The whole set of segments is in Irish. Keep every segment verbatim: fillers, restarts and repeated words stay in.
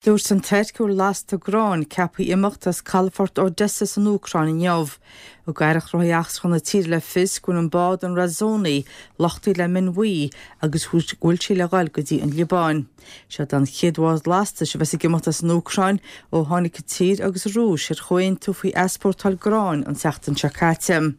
Dúirt an Tuirc go bhfuil lasta gráin ceaptha imeacht as calafort Odessa san Úcráin inniu. Thug Aireacht Ghnóthaí Eachtracha na tíre le fios go bhfuil an bád an Razoni luchtaithe le min bhuí agus go bhfuil sí le dhul go dtí an Liobáin. Seod an chéad bhád lastais a bheas ag imeacht as an Úcráin ó tháinig an tír agus an Rúis ar chomhaontú faoi easpórtáil gráin an tseachtain seo caite.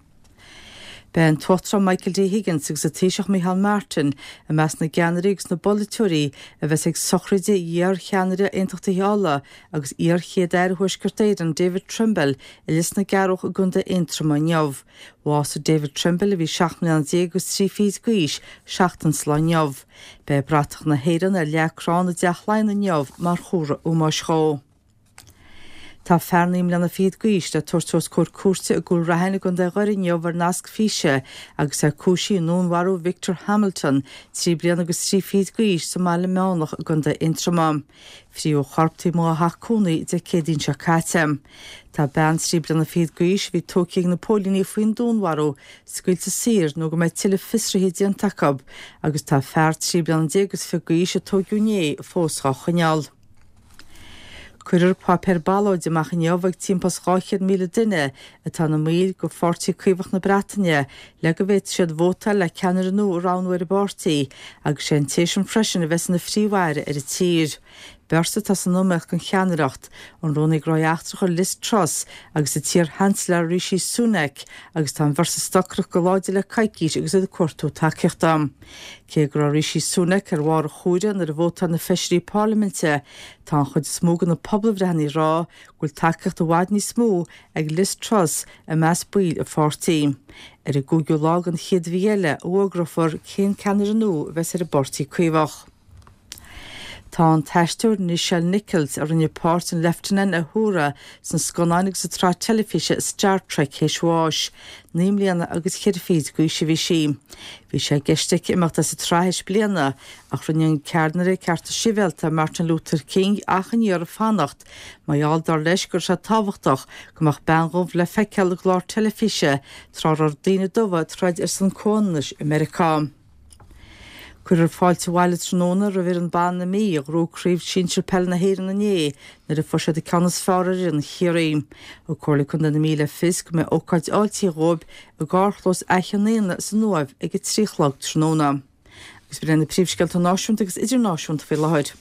Beidh an tUachtarán Michael D. Higgins agus an Taoiseach Micheál Martin i measc na gceannairí agus na bpolaiteoirí a bheas ag sochraid iar-cheannaire Aontachtaithe Uladh agus iar-chéad-aire Thuaisceart Éireann David Trimble i Lios na gCearrbhach i gContae Aontroma inniu. Bhásaigh David Trimble a bhí seacht mbliana déag agus trí fichid d'aois seachtain sa lá inniu. Beidh bratach na hÉireann ar leac crann i dTeach Laighean inniu mar chomhartha ómóis dhó. Tá fear naoi mbliana fichead d'aois le tabhairt os comhair cúirte i gCúil Raithin i gContae Dhoire inniu ar nasc físe agus é cúisithe i ndúnmharú Victor Hamilton, trí bliana agus trí fichid d'aois sa mBaile Meánach i gContae Aontroma. Fríodh a chorp taobh amuigh dá theach cónaí Dé Céadaoin seo caite. Tá bean trí bliana fichead d'aois a bhí tógtha ag na póilíní faoin dúnmharú scaoilte saor nó go mbeidh tuilleadh fiosruithe déanta acu agus tá fear trí bliana déag agus fiche d'aois a tógadh inné fós á choinneáil. Cuirfear páipéar ballóide amach inniu ag timpeall dhá chéad míle duine atá ina mbaill de Pháirtí Caomhach na Breataine le go bhféadfaidh siad vótáil le ceannaire nua a roghnú ar an bpáirtí agus sé an té sin freisin a bheas ina phríomh-aire ar an tír. Beirt atá san iomaíocht don cheannaireacht, an Rúnaí Gnóthaí Eachtracha Liz Truss agus an t-iar-Sheansailéir Rishi Sunak agus tá an bheirt ag stocaireacht go láidir le coicís agus iad ag cuartú tacaíochta. Cé go raibh Rishi Sunak ar bharr an chomhairimh nuair a vótáil na feisirí parlaiminte, tá an chuid is mó de na pobalbhreitheanna ag rá go bhfuil tacaíocht i bhfad níos mó ag Liz Truss i measc baill a pháirtí. Ar an gcúigiú lá den chéad mhí eile a fhógrófar cén ceannaire nua a bheas ar an bPáirtí Caomhach. Tá an t-aisteoir Nichelle Nichols, a rinne páirt an Leifteanant Uhura sna scannáin agus sa tsraith teilifíse Star Trek théis bháis, naoi mbliana agus ceithre fichid d'aois a bhí sí. Bhí sé i gceist aici imeacht as an tsraith théis bliana ach rinne an ceannaire cearta sibhialta Martin Luther King achainí uirthi fanacht mar gheall dar leis go raibh sé tábhachtach go mbeadh bean dhubh le feiceáil i gclár teilifíse tráth a raibh daoine dubha ag troid ar son comhionannais i Meiriceá. Cuirfear fáilte abhaile tráthnóna roimh fhoireann ban na Mí a ghnóthaigh Craobh Sinsir Peile na hÉireann inné nuair a fuair siad an ceann is fearr ar fhoireann Chiarraí. Thug Comhairle Contae na Mí le fios go mbeidh ócáid fháiltithe dhóibh i gcarrchlós Fhaiche an Éanna san Uaimh ag a trí a chlog tráthnóna. Agus b'in iad na príomhscéalta náisiúnta agus idirnáisiúnta faoi láthair.